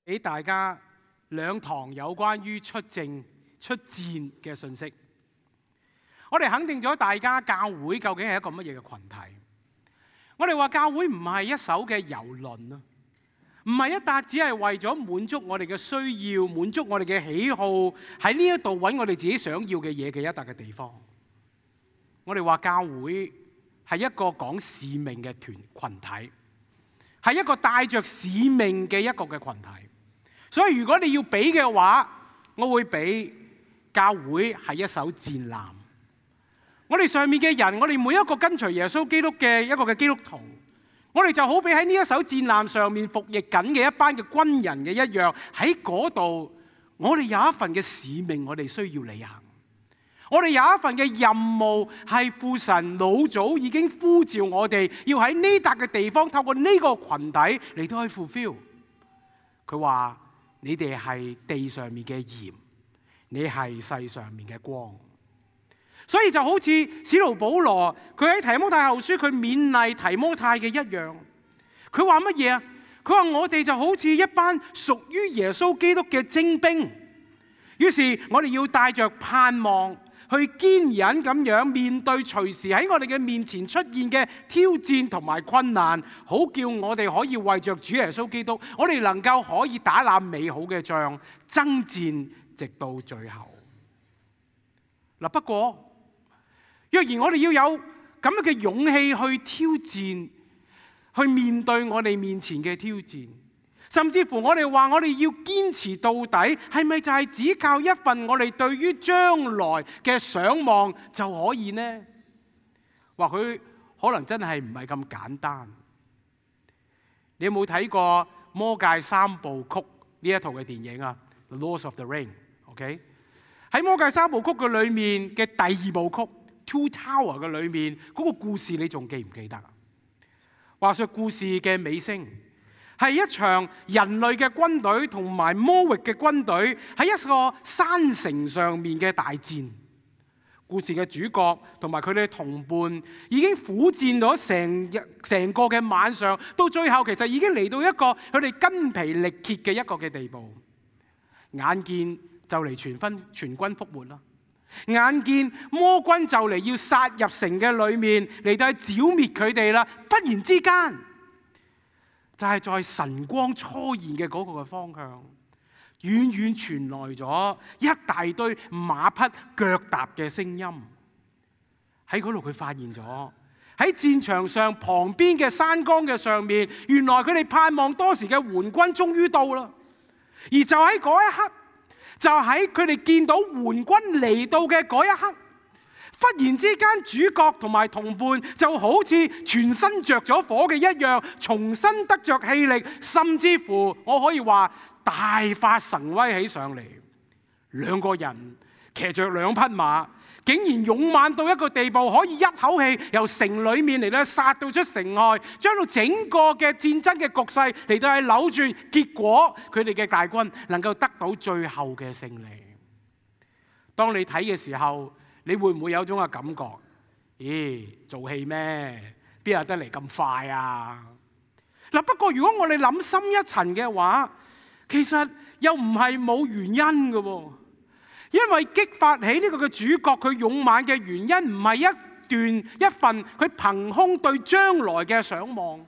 俾大家兩堂有關於出戰嘅信息。我哋肯定咗大家教會究竟係一個乜嘢嘅群體。我哋話教會唔係一艘嘅郵輪啊，唔係一笪只係為咗滿足我哋嘅需要、滿足我哋嘅喜好，喺呢一度揾我哋自己想要嘅嘢嘅一笪嘅地方。我哋話教會係一個講使命嘅群體，係一個帶着使命嘅一個嘅群體。所以如果你要比嘅話，我會比教會係一艘戰艦。我哋上面嘅人，我哋每一個跟隨耶穌基督嘅一個嘅基督徒，我哋就好比喺呢一艘戰艦上面服役緊嘅一班嘅軍人嘅一樣，喺嗰度我哋有一份嘅使命，我哋需要履行。我哋有一份嘅任務，係父神老早已經呼召我哋，要喺呢笪嘅地方透過呢個群體嚟到去 fulfill。佢話：你哋係地上面嘅鹽，你係世上面嘅光。所以就好似使徒保羅佢喺提摩太後書佢勉勵提摩太嘅一樣，佢話乜嘢啊？佢話我哋就好似一班屬於耶穌基督嘅精兵，於是我哋要帶着盼望去堅忍咁樣面對隨時喺我哋嘅面前出現嘅挑戰同埋困難，好叫我哋可以為着主耶穌基督，我哋能夠可以打那美好嘅仗，爭戰直到最後。嗱，不過若然我哋要有咁樣嘅勇氣去挑戰，去面對我哋面前嘅挑戰，甚至乎我哋話我哋要堅持到底，係咪就係只靠一份我哋對於將來嘅想望就可以呢？或許可能真係唔係咁簡單。你有冇睇過《魔戒三部曲》呢一套嘅電影啊？《The Lord of the Ring》，OK？ 喺《魔戒三部曲》嘅裏面嘅第二部曲，Two Tower 嘅裏面嗰個故事，你仲記唔記得啊？話說故事嘅尾聲係一場人類嘅軍隊同埋魔域嘅軍隊喺一個山城上面嘅大戰。故事嘅主角同埋佢哋嘅同伴已經苦戰咗成個嘅晚上，到最後其實已經嚟到一個佢哋筋疲力竭嘅一個嘅地步。眼見就嚟全軍覆沒啦！眼見魔軍就嚟要殺入城嘅裏面嚟到去剿滅佢哋啦！忽然之間，就係在晨光初現嘅嗰個嘅方向，遠遠傳來咗一大堆馬匹腳踏嘅聲音。喺嗰度佢發現咗喺戰場上旁邊嘅山崗嘅上面，原來佢哋盼望多時嘅援軍終於到啦。而就喺嗰一刻，就喺佢哋見到援軍嚟到嘅嗰一刻，忽然之間主角同埋同伴就好似全身着咗火嘅一樣，重新得着氣力，甚至乎我可以話大發神威起上嚟。兩個人騎着兩匹馬，竟然勇猛到一個地步，可以一口氣由城裏面嚟到殺到出城外，將到整個嘅戰爭嘅局勢嚟到係扭轉，結果佢哋嘅大軍能夠得到最後嘅勝利。當你睇嘅時候，你會唔會有種嘅感覺？咦，做戲咩？邊有得嚟咁快啊？嗱，不過如果我哋諗深一層嘅話，其實又唔係冇原因嘅喎。因為激發起呢個嘅主角佢勇猛嘅原因，唔係一份佢憑空對將來嘅想望，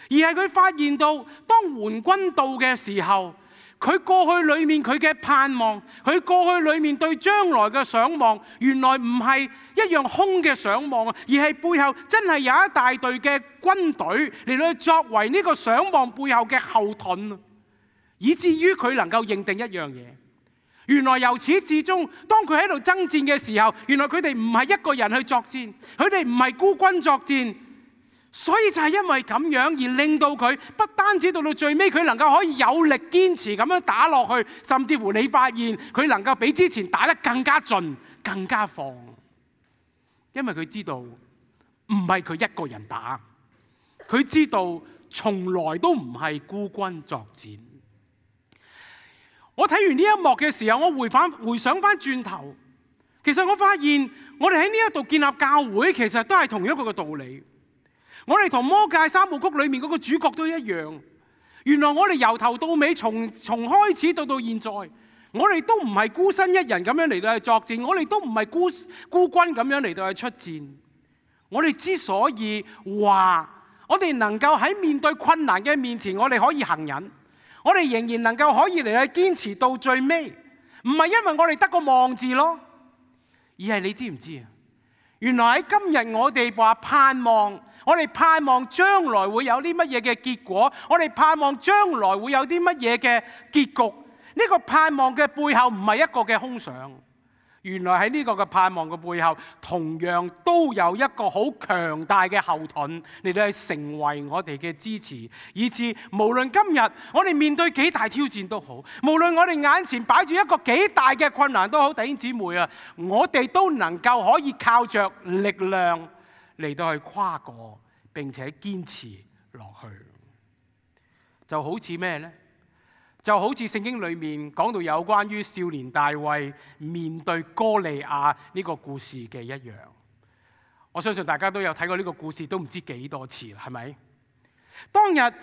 而係佢發現到當援軍到嘅時候，佢過去裏面佢嘅盼望，佢過去裏面對將來嘅想望，原來唔係一樣空嘅想望，而係背後真係有一大隊嘅軍隊嚟到作為呢個想望背後嘅後盾，以至於佢能夠認定一樣嘢。原來由始至終，當佢喺度爭戰嘅時候，原來佢哋唔係一個人去作戰，佢哋唔係孤軍作戰，所以就係因為咁樣而令到佢不單止到最尾，佢能夠可以有力堅持咁樣打落去，甚至乎你發現佢能夠比之前打得更加盡、更加放，因為佢知道唔係佢一個人打，佢知道從來都唔係孤軍作戰。我睇完呢一幕嘅時候，我回想翻轉頭，其實我發現我哋喺呢一度建立教會，其實都係同一個嘅道理。我哋同魔戒三部曲裏面嗰個主角都一樣，原來我哋由頭到尾，從開始到現在，我哋都唔係孤身一人咁樣嚟到去作戰，我哋都唔係孤軍咁樣嚟到去出戰。我哋之所以話我哋能夠喺面對困難嘅面前，我哋可以行忍，我哋仍然能夠可以嚟去堅持到最尾，唔係因為我哋得個望字咯，而係你知唔知啊？原來喺今日我哋話盼望，我哋盼望將來會有啲乜嘢嘅結果，我哋盼望將來會有啲乜嘢嘅結局。呢個盼望嘅背後唔係一個嘅空想。原來喺呢個嘅盼望嘅背後，同樣都有一個好強大嘅後盾嚟到去成為我哋嘅支持，以致無論今日我哋面對幾大挑戰都好，無論我哋眼前擺住一個幾大嘅困難都好，弟兄姊妹啊，我哋都能夠可以靠着力量嚟到去跨過，並且堅持落去。就好似咩呢？就好似聖經裏面講到有關於少年大衛面對哥利亞呢個故事嘅一樣。我相信大家都有睇過呢個故事，都唔知幾多次啦，係咪？當日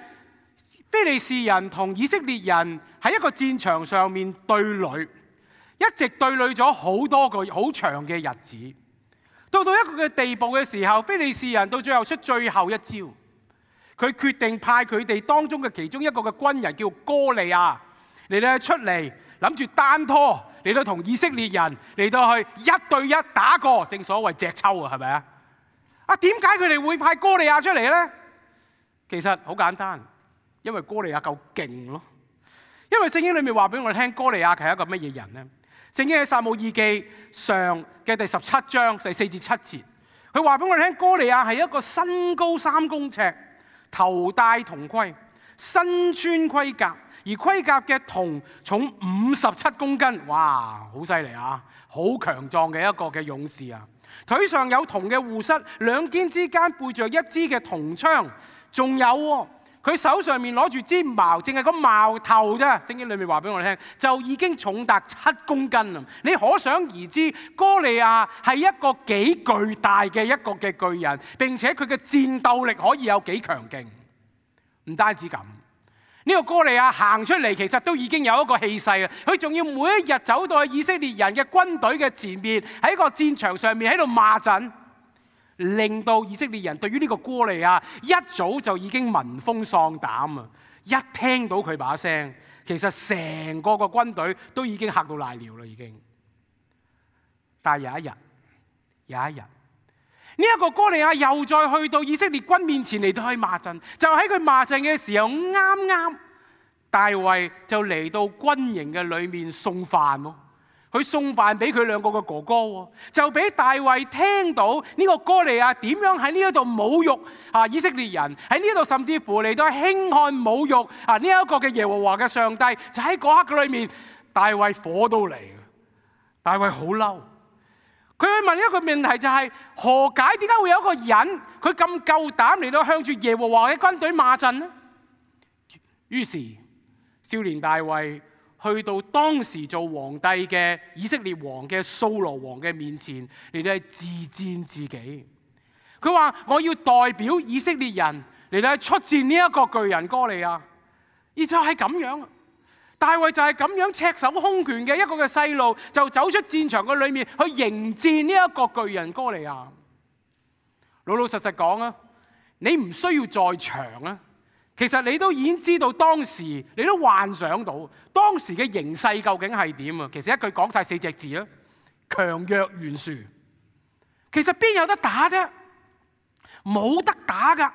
非利士人同以色列人喺一個戰場上面對壘，一直對壘咗好多個好長嘅日子。到一個嘅地步嘅時候，非利士人到最後出最後一招。佢決定派佢哋當中嘅其中一個嘅軍人叫哥利亞嚟到出嚟，諗住單拖嚟到同以色列人嚟到去一對一打過，正所謂隻抽啊，係咪啊？點解佢哋會派哥利亞出嚟呢？其實好簡單，因為哥利亞夠勁咯。因為聖經裏面話俾我哋聽，哥利亞係一個乜嘢人呢？聖經喺撒母耳記上嘅第17章第4至7節，佢話俾我哋聽，哥利亞係一個身高3公尺，頭戴銅盔，身穿盔甲，而盔甲嘅銅重57公斤，哇，好犀利啊！好強壯嘅一個嘅勇士啊！腿上有銅嘅護膝，兩肩之間背着一支嘅銅槍，仲有佢手上面攞住支矛，淨係個矛頭啫。聖經裏面話俾我哋聽，就已經重達7公斤啦！你可想而知，哥利亞係一個幾巨大嘅一個嘅巨人，並且佢嘅戰鬥力可以有幾強勁。唔單止咁，呢個哥利亞行出嚟，其實都已經有一個氣勢啦。佢仲要每一日走到去以色列人嘅軍隊嘅前面，喺個戰場上面喺度罵陣，令到以色列人對於呢個哥利亞一早就已經聞風喪膽啊！一聽到佢把聲，其實成個軍隊都已經嚇到瀨尿啦，已經。但係有一日，呢一個哥利亞又再去到以色列軍面前嚟到去罵陣，就喺佢罵陣嘅時候，啱啱大衛就嚟到軍營嘅裏面送飯喎。佢送飯俾佢兩個嘅哥哥喎，就俾大衛聽到呢個哥利亞點樣喺呢一度侮辱以色列人，喺呢度甚至乎嚟到輕看侮辱呢一個嘅耶和華嘅上帝。就喺嗰刻嘅裏面，大衛火都嚟，大衛好嬲。佢去問一個問題，就係何解？點解會有一個人佢咁夠膽嚟到向住耶和華嘅軍隊罵陣呢？於是少年大衛去到當時做皇帝嘅以色列王嘅掃羅王嘅面前嚟到自薦自己。佢話：我要代表以色列人嚟到出戰呢一個巨人哥利亞。而就係咁樣，大衛就係咁樣赤手空拳嘅一個嘅細路，就走出戰場嘅裏面去迎戰呢一個巨人哥利亞。老實講啊，你唔需要在場啊，其實你都已經知道當時，你都幻想到當時嘅形勢究竟係點啊。其實一句講晒4隻字啊，強弱懸殊。其實邊有得打啫？冇得打噶。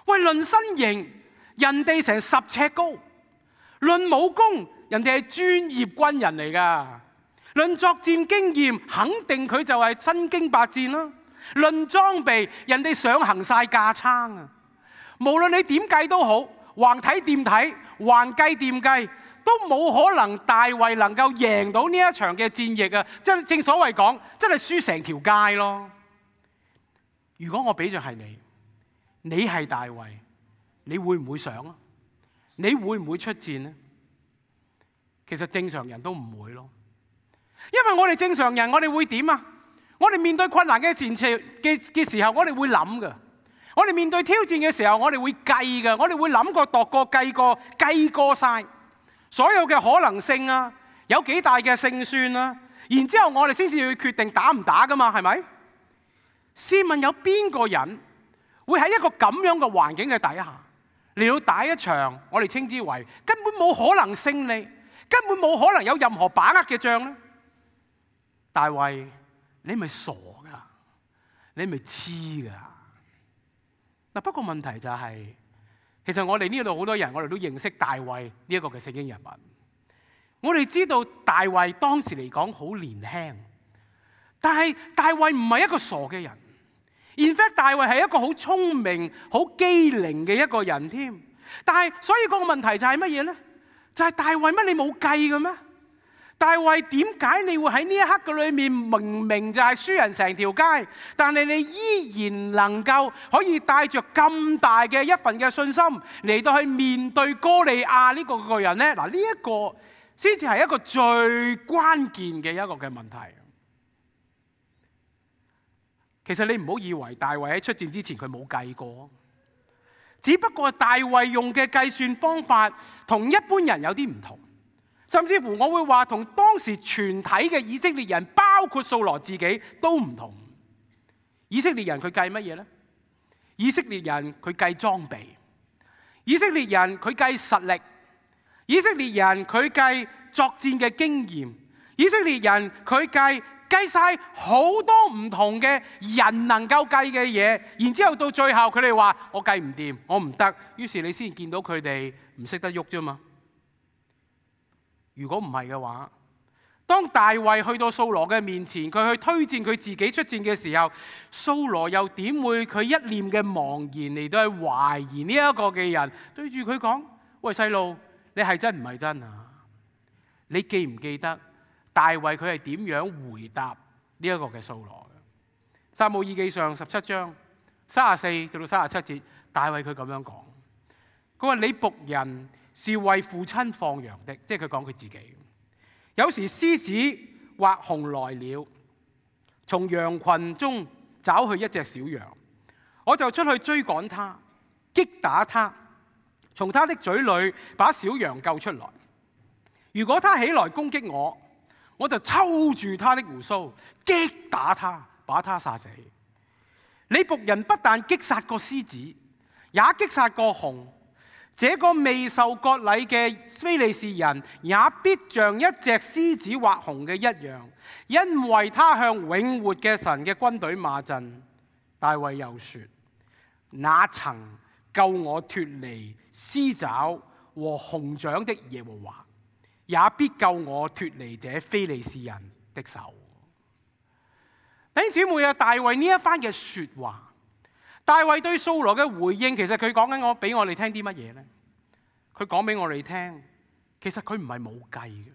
喂，論身形，人哋成10尺高。論武功，人哋係專業軍人嚟噶；論作戰經驗，肯定佢就係身經百戰啦。論裝備，人哋上行晒架撐啊！無論你點計都好，橫睇掂睇，橫計掂計，都冇可能大衛能夠贏到呢一場嘅戰役啊！正所謂講，真係輸成條街咯。如果我俾着係你係大衛，你會唔會上啊？你會唔會出戰呢？其實正常人都唔會咯，因為我哋正常人，我哋會點啊？我哋面對困難嘅時候，我哋會諗噶。我哋面對挑戰嘅時候，我哋會計嘅，我哋會諗過、度過、計過晒所有嘅可能性啊，有幾大嘅勝算啊，然之後我哋先至去決定打唔打噶嘛，係咪？試問有邊個人會喺一個咁樣嘅環境嘅底下嚟到打一場我哋稱之為根本冇可能勝利、根本冇可能有任何把握嘅仗呢？大衛，你咪傻噶，你咪黐噶。嗱，不過問題就係，其實我哋呢度好多人，我哋都認識大衛呢一個嘅聖經人物。我哋知道大衛當時嚟講好年輕，但係大衛唔係一個傻嘅人。In fact， 大衛係一個好聰明、好機靈嘅一個人添。但係所以個問題就係乜嘢呢？就係大衛乜你冇計嘅咩？大衛點解你會喺呢一刻嘅裏面明明就係輸人成條街，但係你依然能夠可以帶着咁大嘅一份嘅信心嚟到去面對哥利亞呢個人呢？嗱，呢一個先至係一個最關鍵嘅一個嘅問題。其實你唔好以為大衛喺出戰之前佢冇計過，只不過大衛用嘅計算方法同一般人有啲唔同。甚至乎我會話同當時全體嘅以色列人，包括掃羅自己都唔同。以色列人佢計乜嘢呢？以色列人佢計裝備，以色列人佢計實力，以色列人佢計作戰嘅經驗，以色列人佢計晒好多唔同嘅人能夠計嘅嘢，然之後到最後佢哋話我計唔掂，我唔得，於是你先見到佢哋唔識得喐啫嘛。如果唔係嘅話，當大衛去到掃羅嘅面前，佢去推薦佢自己出戰嘅時候，掃羅又點會佢一念嘅茫然嚟到去懷疑呢一個嘅人，對住佢講：喂，細路，你係真唔係真啊？你記唔記得大衛佢係點樣回答呢一個嘅掃羅嘅？撒母耳記上17章34到37節，大衛佢咁樣講，佢話：你僕人是為父親放羊的，即係佢講佢自己。有時獅子或熊來了，從羊群中找去一隻小羊，我就出去追趕他，擊打他，從他的嘴裏把小羊救出來。如果他起來攻擊我，我就抽住他的鬍鬚，擊打他，把他殺死。你僕人不但擊殺過獅子，也擊殺過熊。這個未受割禮嘅非利士人也必像一隻獅子或熊嘅一樣，因為他向永活嘅神嘅軍隊罵陣。大衛又說：那曾救我脫離獅爪和熊掌的耶和華，也必救我脫離這非利士人的手。弟兄姊妹啊，大衛呢一番嘅說話，大衛對掃羅嘅回應，其實佢講緊俾我哋聽啲乜嘢呢？佢講俾我哋聽，其實佢唔係冇計嘅。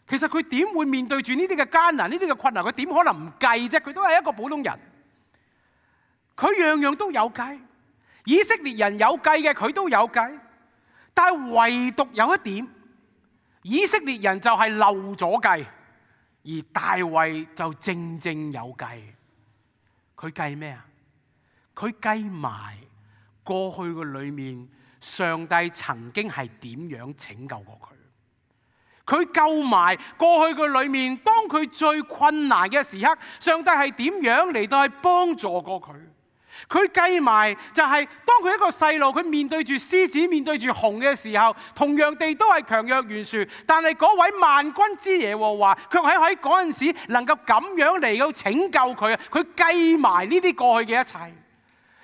其實佢點會面對住呢啲嘅艱難、呢啲嘅困難？佢點可能唔計啫？佢都係一個普通人，佢樣樣都有計。以色列人有計嘅，佢都有計。但係唯獨有一點，以色列人就係漏咗計，而大衛就正正有計。佢計咩啊？佢計埋過去嘅裏面，上帝曾經係點樣拯救過佢？佢救埋過去嘅裏面，當佢最困難嘅時刻，上帝係點樣嚟到去幫助過佢？佢計埋就係當佢一個細路，佢面對住獅子、面對住熊嘅時候，同樣地都係強弱懸殊。但係嗰位萬軍之耶和華，卻喺嗰陣時能夠咁樣嚟到拯救佢啊！佢計埋呢啲過去嘅一切。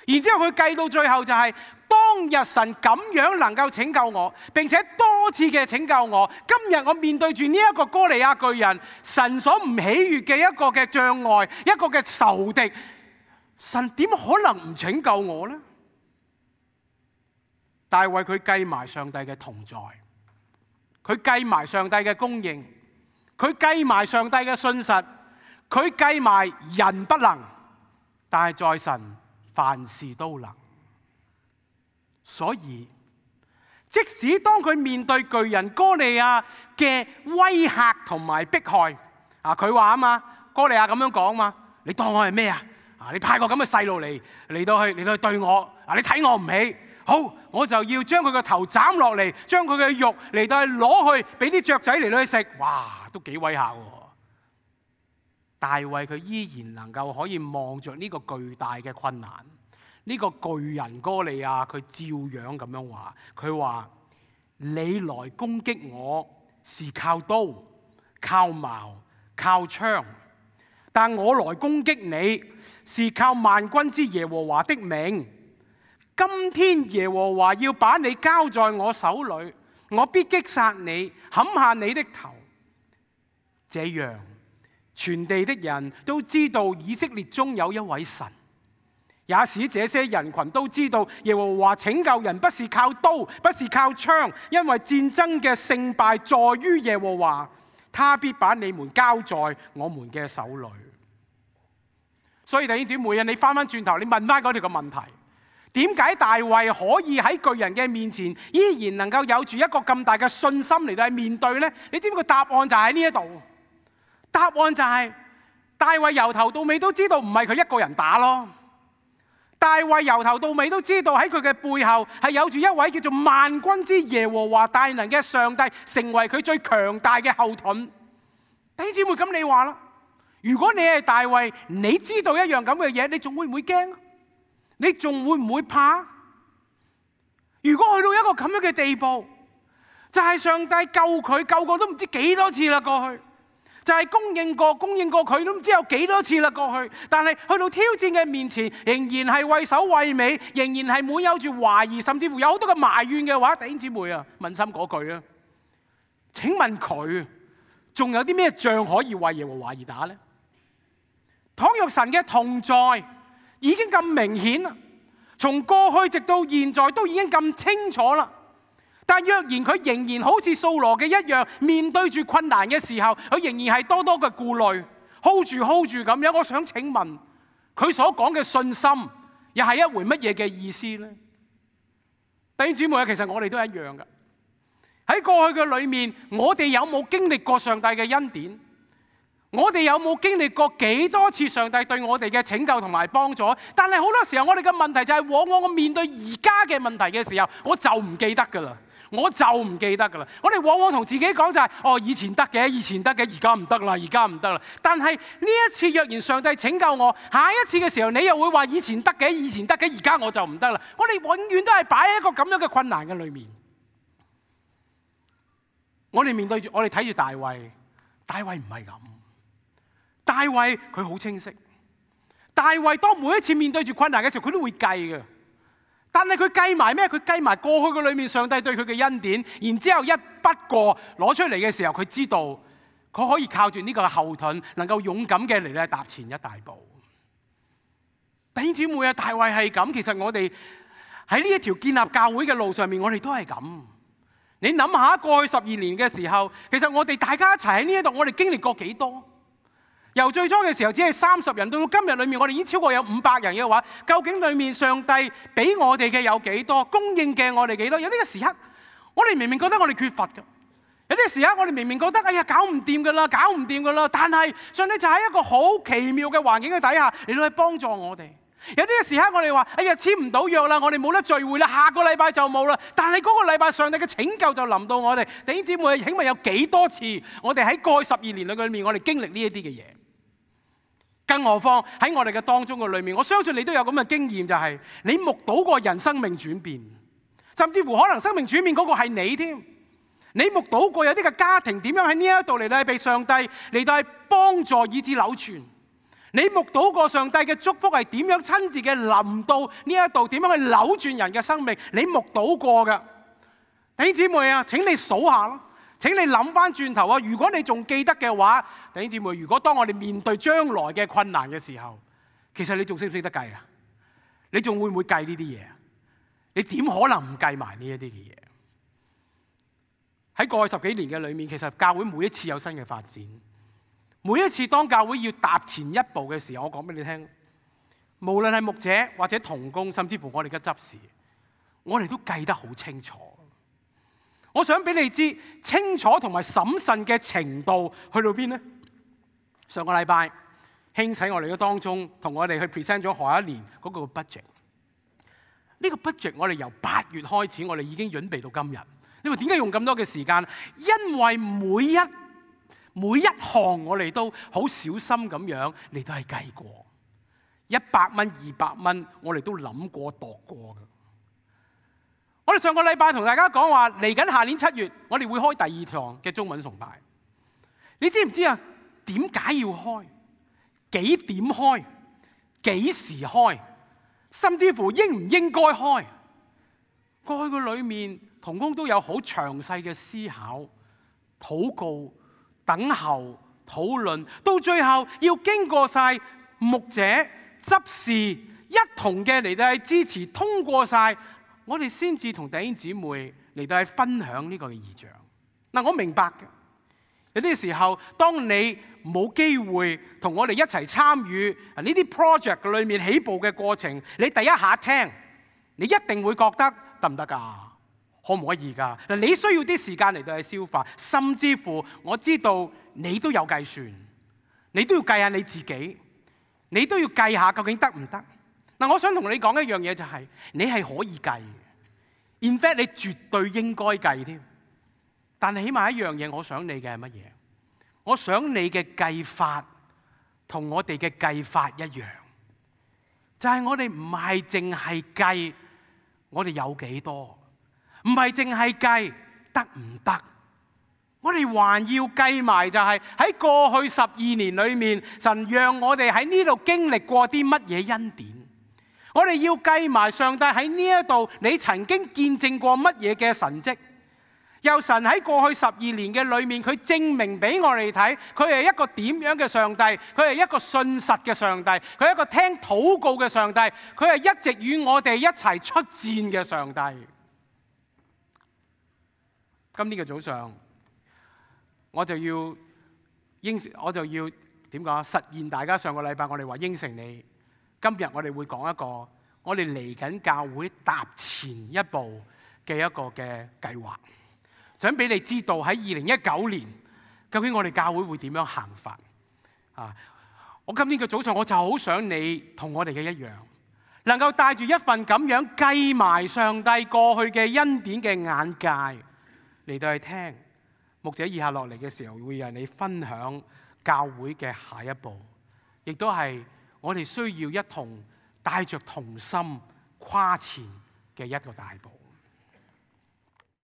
然之後佢計到最後就係當日神咁樣能夠拯救我，並且多次嘅拯救我。今日我面對住呢一個哥利亞巨人，神所唔喜悅嘅一個嘅障礙，一個嘅仇敵，神點可能唔拯救我呢？大衛佢計埋上帝嘅同在，佢計埋上帝嘅供應，佢計埋上帝嘅信實，佢計埋人不能，但係在神凡事都能。所以即使當佢面對巨人哥利亞嘅威嚇同埋迫害，佢話啊嘛，哥利亞咁樣講嘛，你當我係咩啊？你派個咁嘅細路嚟到去對我，你睇我唔起，好，我就要將佢個頭斬落嚟，將佢嘅肉嚟到去攞去俾啲雀仔嚟到去食，哇，都幾威嚇喎！大衛佢依然能夠可以望着呢個巨大嘅困難，呢個巨人哥利亞，佢照樣咁樣話，佢話你來攻擊我是靠刀、靠矛、靠槍，但我來攻擊你是靠萬軍之耶和華的名。今天耶和華要把你交在我手裏，我必擊殺你，砍下你的頭。這樣全地的人都知道以色列中有一位神，也使這些人群都知道耶和華拯救人不是靠刀，不是靠槍，因為戰爭嘅勝敗在於耶和華，他必把你們交在我們嘅手裏。所以弟兄姊妹啊，你翻翻轉頭，你問翻嗰條個問題，點解大衛可以喺巨人嘅面前依然能夠有住一個咁大嘅信心嚟到去面對呢？你知唔知個答案就喺呢一度？答案就係大衛由頭到尾都知道唔係佢一個人打咯。大衛由頭到尾都知道喺佢嘅背後係有住一位叫做萬軍之耶和華大能嘅上帝，成為佢最強大嘅後盾。弟兄姊妹，咁你話啦，如果你係大衛，你知道一樣咁嘅嘢，你仲會唔會驚？你仲會唔會怕？如果去到一個咁樣嘅地步，就係上帝救佢，救過都唔知幾多次啦過去。就係供應過佢都唔知有幾多次啦過去，但係去到挑戰嘅面前，仍然係畏首畏尾，仍然係滿有住懷疑，甚至乎有好多嘅埋怨嘅話，弟兄姊妹啊，問心嗰句啊，請問佢仲有啲咩仗可以為耶和華而打呢？倘若神嘅同在已經咁明顯啦，從過去直到現在都已經咁清楚啦。但若然佢仍然好似掃羅嘅一樣，面對住困難嘅時候，佢仍然係多多嘅顧慮 ，hold 住咁樣。我想請問，佢所講嘅信心，又係一回乜嘢嘅意思呢？弟兄姊妹啊，其實我哋都一樣㗎。喺過去嘅裏面，我哋有冇經歷過上帝嘅恩典？我哋有冇經歷過幾多次上帝對我哋嘅拯救同埋幫助？但係好多時候，我哋嘅問題就係，往往我面對而家嘅問題嘅時候，我就唔記得㗎啦。我哋往往同自己講就係，以前得嘅，而家唔得啦。但係呢一次若然上帝拯救我，下一次嘅時候你又會話以前得嘅，而家我就唔得啦。我哋永遠都係擺喺一個咁樣嘅困難嘅裏面。我哋面對住，我哋睇住大衛唔係咁。大衛佢好清晰，大衛當每一次面對住困難嘅時候，佢都會計嘅。但係佢計埋咩？佢計埋過去嘅裏面上帝對佢嘅恩典，然之後一筆過攞出嚟嘅時候，佢知道佢可以靠住呢個後盾，能夠勇敢嘅嚟咧踏前一大步。弟兄姊妹啊，大衛係咁，其實我哋喺呢一條建立教會嘅路上面，我哋都係咁。你諗下過去12年嘅時候，其實我哋大家一齊喺呢一度，我哋經歷過幾多？由最初嘅時候只係30人，到今日裏面我哋已經超過有500人嘅話，究竟裏面上帝俾我哋嘅有幾多？供應嘅我哋幾多？有啲嘅時刻，我哋明明覺得我哋缺乏嘅；有啲嘅時刻，我哋明明覺得哎呀搞唔掂㗎啦，但係上帝就喺一個好奇妙嘅環境嘅底下嚟到去幫助我哋。有啲嘅時刻，我哋話哎呀簽唔到約啦，我哋冇得聚會啦，下個禮拜就冇啦。但係嗰個禮拜上帝嘅拯救就臨到我哋。弟兄姊妹，請問有幾多次我哋喺過去12年裏面，我哋經歷呢一啲嘅嘢？更何況喺我哋嘅當中嘅裏面，我相信你都有咁嘅經驗，就係你目睹過人生命轉變，甚至乎可能生命轉變嗰個係你添。你目睹過有啲嘅家庭點樣喺呢一度嚟到被上帝嚟到幫助以致扭轉。你目睹過上帝嘅祝福係點樣親自嘅臨到呢一度，點樣去扭轉人嘅生命？你目睹過㗎。弟兄姊妹啊，請你數下咯。請你諗翻轉頭啊！如果你仲記得嘅話，弟兄姊妹，如果當我哋面對將來嘅困難嘅時候，其實你仲識唔識得計啊？你仲會唔會計呢啲嘢？你點可能唔計埋呢一啲嘅嘢？喺過去10幾年嘅裏面，其實教會每一次有新嘅發展，每一次當教會要踏前一步嘅時候，我講俾你聽，無論係牧者或者同工，甚至乎我哋嘅執事，我哋都計得好清楚。我想俾你知清楚同埋審慎嘅程度去到邊呢？上個禮拜興起我哋嘅當中，同我哋去 present 咗下一年嗰個 budget。呢個 budget 我哋由8月開始，我哋已經準備到今日。你話點解用咁多嘅時間？因為每一項我哋都好小心咁樣嚟到係計過，100蚊、200蚊，我哋都諗過度過嘅。我哋上個禮拜同大家講話，嚟緊下年7月，我哋會開第2堂嘅中文崇拜。你知唔知啊？點解要開？幾點開？幾時開？甚至乎應唔應該開？過去嘅裏面，同工都有好詳細嘅思考、禱告、等候、討論，到最後要經過晒牧者、執事一同嘅嚟到係支持通過晒，我哋先至同弟兄姊妹嚟到係分享呢個嘅異象。嗱，我明白嘅。有啲時候，當你冇機會同我哋一齊參與呢啲 project 裏面起步嘅過程，你第一下聽，你一定會覺得得唔得㗎？可唔可以㗎？嗱，你需要啲時間嚟到去消化，甚至乎我知道你都有計算，你都要計下你自己，你都要計下究竟得唔得？嗱，我想同你講一樣嘢就係，你係可以計嘅，in fact 你絕對應該計添。但係起碼一樣嘢，我想你嘅係乜嘢？我想你嘅計法同我哋嘅計法一樣，就係我哋唔係淨係計我哋有幾多，唔係淨係計得唔得，我哋還要計埋就係喺過去12年裏面，神讓我哋喺呢度經歷過啲乜嘢恩典，我哋要計埋上帝喺呢一度你曾經見證過乜嘢嘅神蹟。由神喺過去12年嘅裏面，佢證明俾我哋睇，佢係一個點樣嘅上帝，佢係一個信實嘅上帝，佢係一個聽禱告嘅上帝，佢係一直與我哋一齊出戰嘅上帝。今天嘅早上，我就要點講？實現大家上個禮拜我哋話應承你，今日我哋會講一個我哋嚟緊教會踏前一步嘅一個嘅計劃。想俾你知道喺2019年，究竟我哋教會會點樣行法啊？我今天嘅早上，我就好想你同我哋嘅一樣，能夠帶住一份咁樣計埋上帝過去嘅恩典嘅眼界嚟到去聽牧者以下落嚟嘅時候，會讓你分享教會嘅下一步，亦都係我哋需要一同帶着同心跨前嘅一個大步。